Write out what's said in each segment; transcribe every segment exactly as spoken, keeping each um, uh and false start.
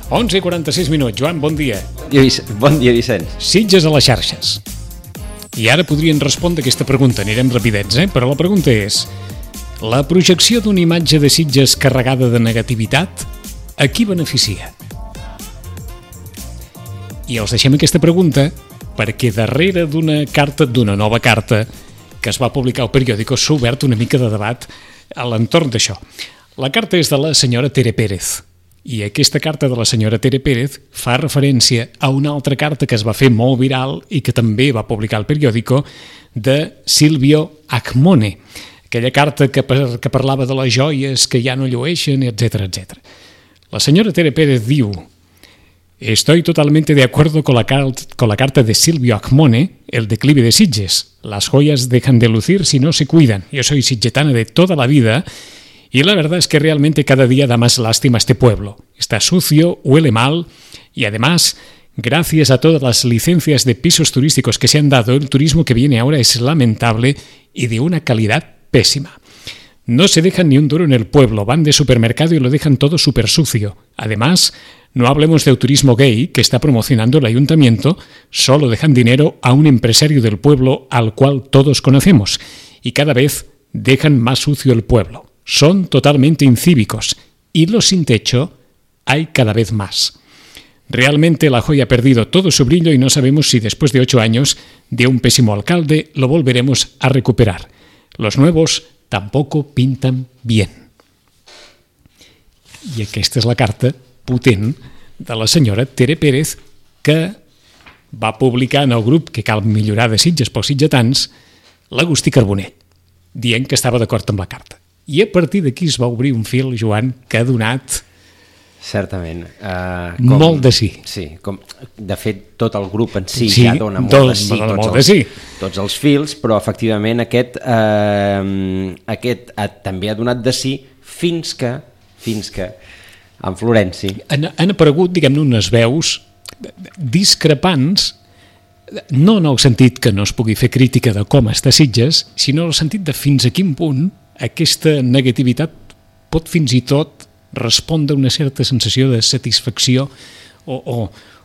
onze i quaranta-sis minuts. Joan, bon dia. Bon dia, Vicenç. Sitges a les xarxes. I ara podrien respondre aquesta pregunta. Anirem rapidets, eh? Però la pregunta és: la projecció d'una imatge de Sitges carregada de negativitat, a qui beneficia? I els deixem aquesta pregunta perquè darrere d'una carta, d'una nova carta que es va publicar al periòdico, s'ha obert una mica de debat a l'entorn d'això. La carta és de la senyora Tere Pérez. I aquesta carta de la senyora Tere Pérez fa referència a una altra carta que es va fer molt viral i que també va publicar el periòdico, de Silvio Acmone. Aquella carta que, per, que parlava de les joies que ja no llueixen, etcètera, etcètera. La senyora Tere Pérez diu: estoy totalmente de acuerdo con la, con la carta de Silvio Acmone, el declive de Sitges. Las joyas dejan de lucir si no se cuidan. Yo soy sitgetana de toda la vida y la verdad es que realmente cada día da más lástima este pueblo. Está sucio, huele mal y además, gracias a todas las licencias de pisos turísticos que se han dado, el turismo que viene ahora es lamentable y de una calidad pésima. No se dejan ni un duro en el pueblo, van de supermercado y lo dejan todo súper sucio. Además, no hablemos del turismo gay que está promocionando el ayuntamiento, solo dejan dinero a un empresario del pueblo al cual todos conocemos y cada vez dejan más sucio el pueblo. Son totalmente incívicos y los sin techo hay cada vez más. Realmente la joya ha perdido todo su brillo y no sabemos si después de ocho años de un pésimo alcalde lo volveremos a recuperar. Los nuevos tampoco pintan bien. I aquesta és la carta potent de la senyora Tere Pérez, que va publicar en el grup que cal millorar de Sitges pels sitgetans, l'Agustí Carbonell, dient que estava d'acord amb la carta. I a partir d'aquí es va obrir un fil, Joan, que ha donat... Certament. Uh, com, molt de sí. Sí, com, de fet, tot el grup en si sí, ja dona molt tot, de sí, tots, molt els, de sí. tots els fils, però efectivament aquest, uh, aquest uh, també ha donat de sí fins que, fins que en Florenci... Han, han aparegut, diguem-ne, unes veus discrepants, no en el sentit que no es pugui fer crítica de com està Sitges, sinó en el sentit de fins a quin punt aquesta negativitat pot fins i tot respondre a una certa sensació de satisfacció o, o,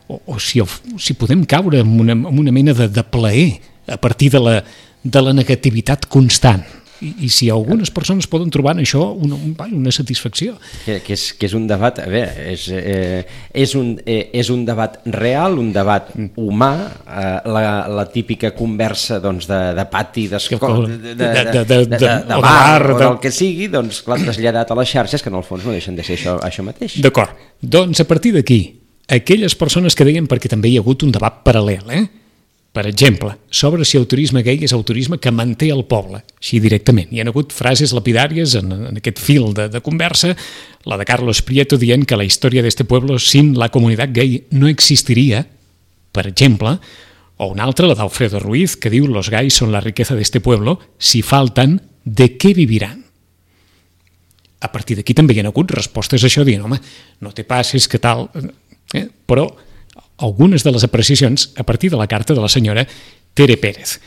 o, o si, o, si podem caure en una, en una mena de, de plaer a partir de la, de la negativitat constant. I, i si algunes persones poden trobar en això una, una satisfacció. Que, que, és, que és un debat, a veure, és, eh, és, un, eh, és un debat real, un debat humà, eh, la, la típica conversa doncs, de, de pati, d'escola, de, de, de, de, de, de, de, de bar, o del que sigui, doncs clar, traslladat a les xarxes, que en el fons no deixen de ser això, això mateix. D'acord, doncs a partir d'aquí, aquelles persones que deien, perquè també hi ha hagut un debat paral·lel, eh? Per exemple, sobre si el turisme gay és el turisme que manté el poble, així directament. Hi ha hagut frases lapidàries en, en aquest fil de, de conversa, la de Carlos Prieto dient que la història d'este pueblo sin la comunitat gay no existiria, per exemple, o una altra, la d'Alfredo Ruiz, que diu los gays son la riqueza d'este pueblo, si faltan, ¿de què viviran? A partir d'aquí també hi ha hagut respostes a això, dient, home, no te passes, que tal... Eh? Però algunes de les apreciacions a partir de la carta de la senyora Tere Pérez.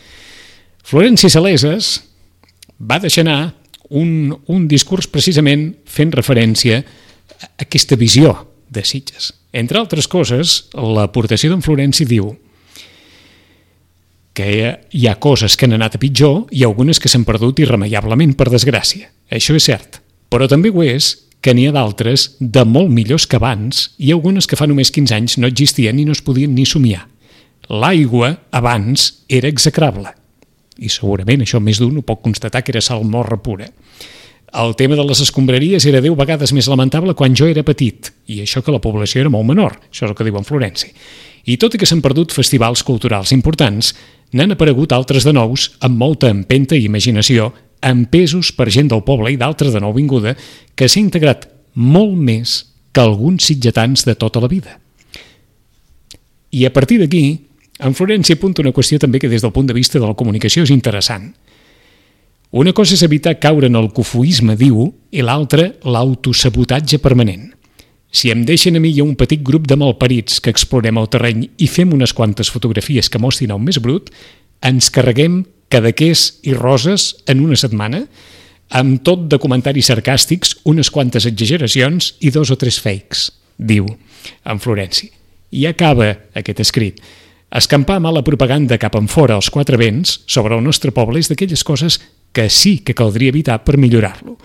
Florenci Saleses va deixar anar un, un discurs precisament fent referència a aquesta visió de Sitges. Entre altres coses, l'aportació d'en Florenci diu que hi ha coses que han anat a pitjor i algunes que s'han perdut irremeiablement, per desgràcia. Això és cert, però també ho és que n'hi ha d'altres de molt millors que abans i algunes que fa només quinze anys no existien i no es podien ni somiar. L'aigua, abans, era execrable. I segurament això més d'un ho pot constatar que era salmorra pura. El tema de les escombraries era deu vegades més lamentable quan jo era petit, i això que la població era molt menor, això és el que diu en Florenci. I tot i que s'han perdut festivals culturals importants, n'han aparegut altres de nous amb molta empenta i imaginació, empesos per gent del poble i d'altres de nouvinguda, que s'ha integrat molt més que alguns sitgetans de tota la vida. I a partir d'aquí, en Florenci apunta una qüestió també que des del punt de vista de la comunicació és interessant. Una cosa és evitar caure en el cofoisme, diu, i l'altra, l'autosabotatge permanent. Si em deixen a mi i a un petit grup de malparits que explorem el terreny i fem unes quantes fotografies que mostrin el més brut, ens carreguem cadaqués i roses en una setmana, amb tot de comentaris sarcàstics, unes quantes exageracions i dos o tres fakes, diu. en Florenci. I acaba aquest escrit. Escampar mala propaganda cap enfora als quatre vents sobre el nostre poble és d'aquelles coses que sí que caldria evitar per millorar-lo.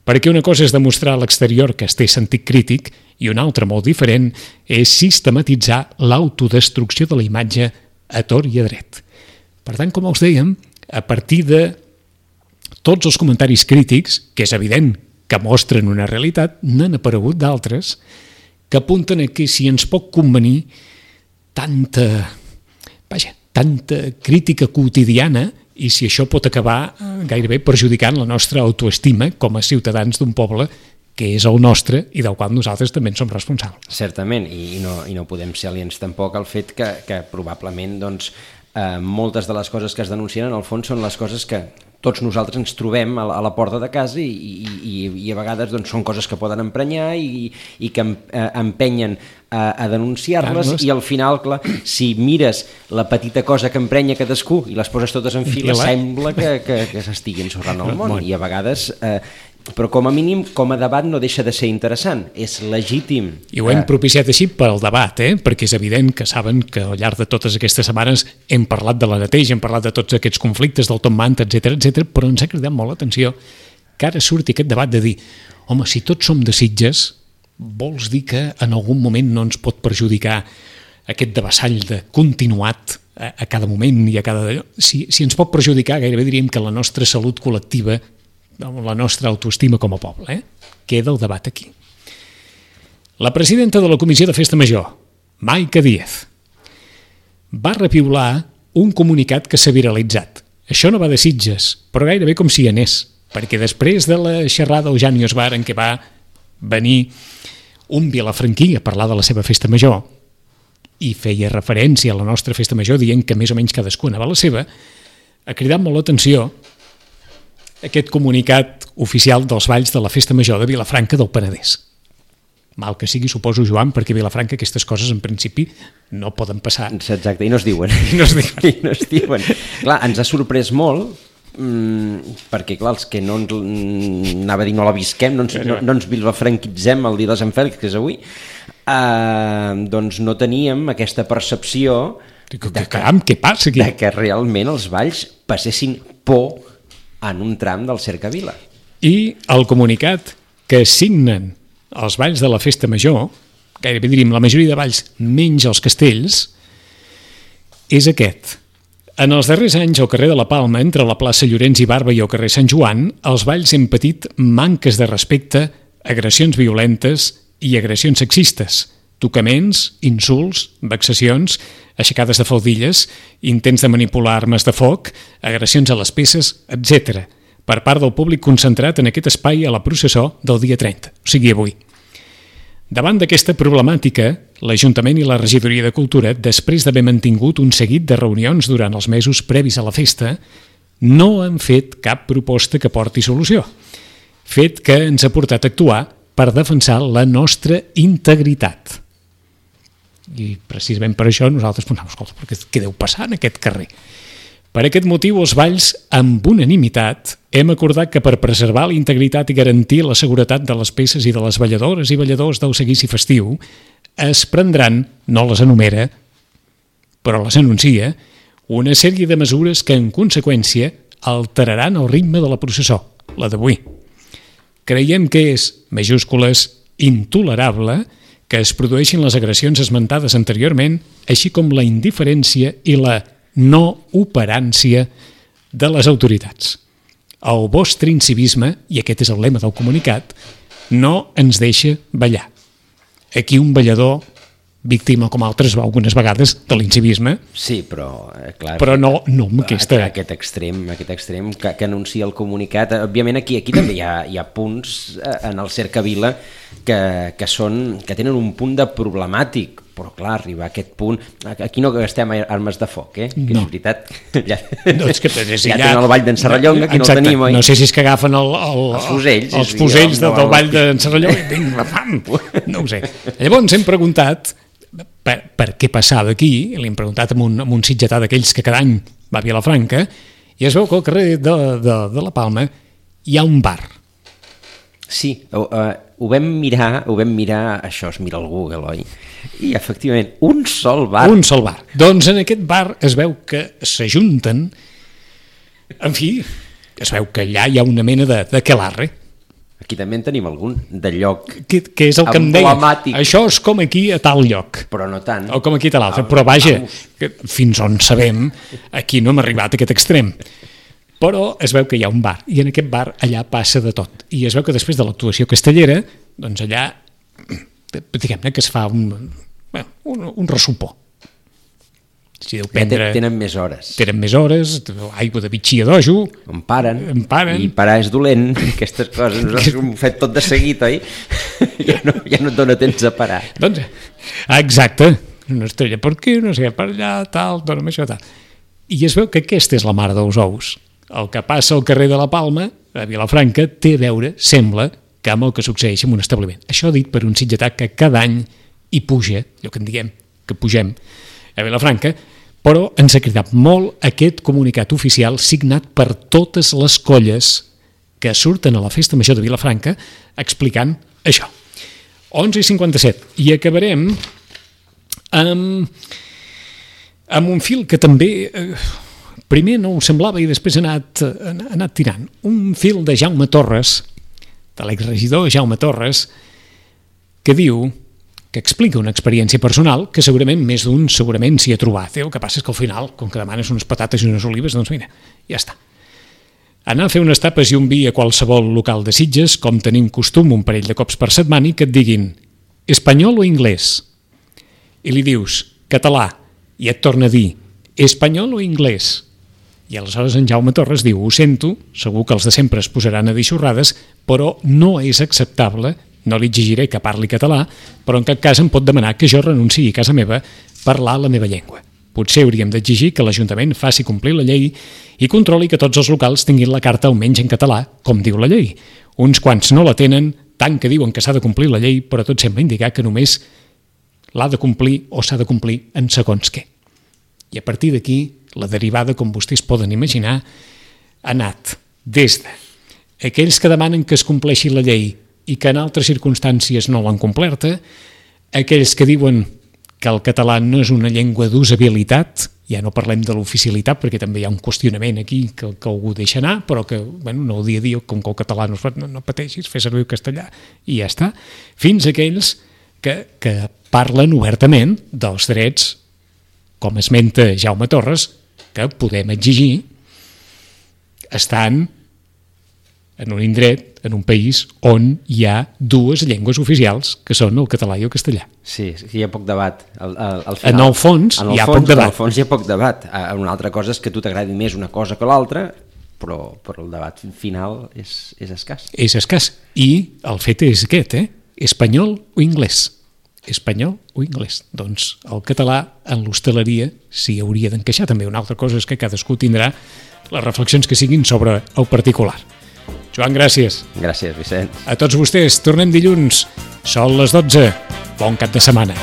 Perquè una cosa és demostrar a l'exterior que es té sentit crític i una altra molt diferent és sistematitzar l'autodestrucció de la imatge a tort i a dret. Per tant, com us dèiem, a partir de tots els comentaris crítics, que és evident que mostren una realitat, n'han aparegut d'altres que apunten a que si ens pot convenir tanta, vaja, tanta crítica quotidiana i si això pot acabar gairebé perjudicant la nostra autoestima com a ciutadans d'un poble que és el nostre i del qual nosaltres també en som responsables. Certament, i no, i no podem ser aliens tampoc al fet que, que probablement doncs, eh, moltes de les coses que es denuncien en el fons són les coses que tots nosaltres ens trobem a la, a la porta de casa i, i, i a vegades doncs, són coses que poden emprenyar i, i que empenyen a, a denunciar-les i al final, clar, si mires la petita cosa que emprenya cadascú i les poses totes en fila, sembla que, que, que s'estigui ensorrant el món i a vegades... Eh, però com a mínim, com a debat no deixa de ser interessant, és legítim. I ho hem propiciat així pel debat, eh? Perquè és evident que saben que al llarg de totes aquestes setmanes hem parlat de la neteja, hem parlat de tots aquests conflictes del Tom Manta, etcètera, etcètera, però ens ha cridat molt l'atenció que ara surti aquest debat de dir, home, si tots som de Sitges, vols dir que en algun moment no ens pot perjudicar aquest devassall de continuat a, a cada moment i a cada... Si, si ens pot perjudicar, gairebé diríem que la nostra salut col·lectiva, la nostra autoestima com a poble, eh? Queda el debat aquí. La presidenta de la Comissió de Festa Major, Maica Díaz, va repiular un comunicat que s'ha viralitzat. Això no va de Sitges, però gairebé com si hi anés, perquè després de la xerrada al Janius Bar en què va venir un vilafranquí a parlar de la seva festa major i feia referència a la nostra festa major dient que més o menys cadascú anava a la seva, ha cridat molt l'atenció aquest comunicat oficial dels balls de la Festa Major de Vilafranca del Penedès. Mal que sigui, suposo, Joan, perquè a Vilafranca aquestes coses en principi no poden passar. Exacte, i no es diuen. I no es diuen. I no es diuen. Clar, ens ha sorprès molt, mmm, perquè clar, els que no ens, anava a dir no la visquem, no ens, no, no ens vilafranquitzem el dia de Sant Fèlix, que és avui, eh, doncs no teníem aquesta percepció que, que, caram, què passa aquí? De que realment els balls passessin por en un tram del Cercavila. I el comunicat que signen els balls de la Festa Major, gairebé diríem la majoria de balls menys els castells, és aquest. En els darrers anys al carrer de la Palma, entre la plaça Llorenç i Barba i el carrer Sant Joan, els balls hem patit manques de respecte, agressions violentes i agressions sexistes, tocaments, insults, vexacions, aixecades de faldilles, intents de manipular armes de foc, agressions a les peces, etcètera, per part del públic concentrat en aquest espai a la processó del dia trenta, o sigui avui. Davant d'aquesta problemàtica, l'Ajuntament i la Regidoria de Cultura, després d'haver mantingut un seguit de reunions durant els mesos previs a la festa, no han fet cap proposta que porti solució, fet que ens ha portat a actuar per defensar la nostra integritat. I precisament per això nosaltres pensàvem, escolta, però què deu passar en aquest carrer? Per aquest motiu, els balls, amb unanimitat, hem acordat que per preservar la integritat i garantir la seguretat de les peces i de les balladores i balladors del seguici festiu, es prendran, no les enumera, però les anuncia, una sèrie de mesures que, en conseqüència, alteraran el ritme de la processó, la d'avui. Creiem que és, majúscules, intolerable que es produeixin les agressions esmentades anteriorment, així com la indiferència i la no operància de les autoritats. El vostre incivisme, i aquest és el lema del comunicat, no ens deixa ballar. Aquí un ballador, víctima com altres algunes vegades de l'incivisme, sí, però, eh, clar, però no, no amb aquesta... Aquest extrem, aquest extrem que, que anuncia el comunicat. Òbviament aquí, aquí també hi ha, hi ha punts en el Cercavila que, que, són, que tenen un punt de problemàtic, però clar, arribar a aquest punt... Aquí no gastem armes de foc, eh? Que no. És veritat. Ja, no, és que és ja tenen el ball d'en Serrallonga, aquí exacte. No el tenim, oi? No sé si és que agafen el, el, els fusells, els fusells del, del ball d'en Serrallonga i vinga, fam! No ho sé. Llavors hem preguntat per, per què passava aquí, i li hem preguntat amb un, amb un sitgetà d'aquells que cada any va a Vilafranca, i es veu que al carrer de, de, de la Palma hi ha un bar. Sí, ho, uh, ho vam mirar, ho vam mirar, això es mira al Google, oi? I efectivament, un sol bar. Un sol bar. Doncs en aquest bar es veu que s'ajunten, en fi, es veu que allà hi ha una mena de, de quelarre. Aquí també en tenim algun, de lloc que, que és el que em deia, això és com aquí a tal lloc. Però no tant. O com aquí a l'altre, però vaja, que fins on sabem, aquí no hem arribat a aquest extrem. Però es veu que hi ha un bar, i en aquest bar allà passa de tot. I es veu que després de l'actuació castellera, doncs allà, diguem-ne que es fa un, un, un ressupor. Si deu prendre, tenen més hores. Tenen més hores, aigua de bitxia d'ojo. Em paren, em paren. I parar és dolent, aquestes coses. Nosaltres ho hem fet tot de seguit, oi? Ja no, ja no et dona temps a parar. Doncs, exacte. Una estrella per aquí, no sé, per allà, tal, dona'm això, tal. I es veu que aquesta és la mare dels ous. El que passa al carrer de la Palma, a Vilafranca, té a veure, sembla, que amb el que succeeix en un establiment. Això dit per un sitgetà que cada any hi puja, allò que en diguem, que pugem a Vilafranca, però ens ha cridat molt aquest comunicat oficial signat per totes les colles que surten a la Festa Major de Vilafranca explicant això. onze i cinquanta-set. I acabarem amb, amb un fil que també... Eh, primer no ho semblava i després ha anat, ha anat tirant. Un fil de Jaume Torres, de l'exregidor Jaume Torres, que diu, que explica una experiència personal que segurament més d'un segurament s'hi ha trobat. El que passa és que al final, com que demanes unes patates i unes olives, doncs mira, ja està. Anar a fer unes tapes i un vi a qualsevol local de Sitges, com tenim costum un parell de cops per setmana, i que et diguin espanyol o anglès? I li dius català, i et torna a dir espanyol o anglès? I aleshores en Jaume Torres diu, ho sento, segur que els de sempre es posaran a dir xorrades, però no és acceptable, no li exigiré que parli català, però en cap cas em pot demanar que jo renunciï a casa meva a parlar la meva llengua. Potser hauríem d'exigir que l'Ajuntament faci complir la llei i controli que tots els locals tinguin la carta almenys en català, com diu la llei. Uns quants no la tenen, tant que diuen que s'ha de complir la llei, però tot sembla indicar que només l'ha de complir o s'ha de complir en segons què. I a partir d'aquí, la derivada, com vostès poden imaginar, ha anat des de aquells que demanen que es compleixi la llei i que en altres circumstàncies no l'han complerta, aquells que diuen que el català no és una llengua d'usabilitat, ja no parlem de l'oficialitat perquè també hi ha un qüestionament aquí que, que algú deixa anar, però que bueno, no ho dia a dia, com que el català no, no, no pateixis, fer servir el castellà i ja està, fins a aquells que, que parlen obertament dels drets, com esmenta Jaume Torres, que podem exigir estant en un indret, en un país on hi ha dues llengües oficials, que són el català i el castellà. Sí, hi ha poc debat. Al, al, al final, en el fons en el hi ha fons, poc debat. En el fons hi ha poc debat. Una altra cosa és que a tu t'agradi més una cosa que l'altra, però, però el debat final és, és escàs. És escàs. I el fet és aquest, eh? Espanyol o anglès? Espanyol o anglès? Doncs el català en l'hostaleria s'hi hauria d'encaixar també. Una altra cosa és que cadascú tindrà les reflexions que siguin sobre el particular. Joan, gràcies. Gràcies, Vicenç. A tots vostès, tornem dilluns. Són les dotze. Bon cap de setmana.